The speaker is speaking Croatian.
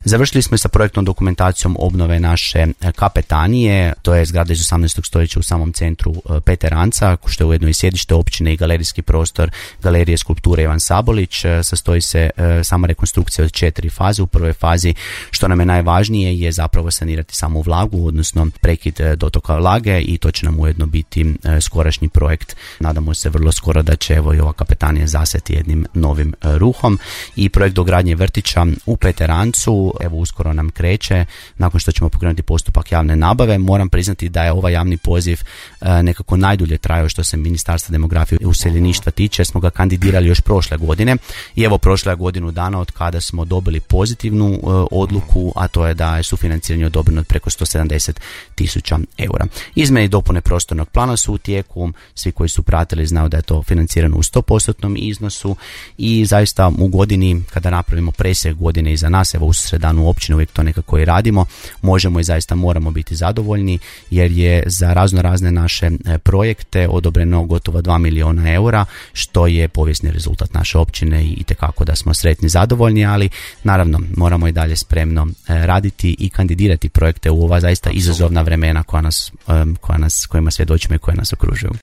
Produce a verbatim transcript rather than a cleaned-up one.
Završili smo sa projektnom dokumentacijom obnove naše kapetanije, to je zgrada iz osamnaestog stoljeća u samom centru Peteranca, što je ujedno i sjedište općine i galerijski prostor Galerije skulpture Ivan Sabolić. Sastoji se sama rekonstrukcija od četiri faze. U prvoj fazi, što nam je najvažnije, je zapravo sanirati samu vlagu, odnosno prekid dotoka vlage, i to će nam ujedno biti skorašnji projekt. Nadamo se vrlo skoro da će evo i ova kapetanija zasjeti jednim novim ruhom. I projekt dogradnje vrtića u Peterancu evo uskoro nam kreće, nakon što ćemo pokrenuti postupak javne nabave. Moram priznati da je ovaj javni poziv nekako najdulje trajao što se Ministarstva demografije i useljeništva tiče. Smo ga kandidirali još prošle godine i evo prošla je godinu dana od kada smo dobili pozitivnu odluku, a to je da je sufinanciranje odobreno od preko sto sedamdeset tisuća eura. Izmjene i dopune prostornog plana su u tijeku, svi koji su pratili znaju da je to financirano u sto posto iznosu i zaista u godini kada napravimo presjek godine iza nas, evo u sredanu općine uvijek to nekako i radimo, možemo i zaista moramo biti zadovoljni jer je za razno razne naše projekte odobreno gotovo dva milijuna eura, što je povijesni rezultat naše općine i itekako da smo sretni i zadovoljni, ali naravno moramo i dalje spremno raditi i kandidirati projekte u ova zaista izazovna vremena koja nas, koja nas, kojima svjedočimo i koja nas okružuju.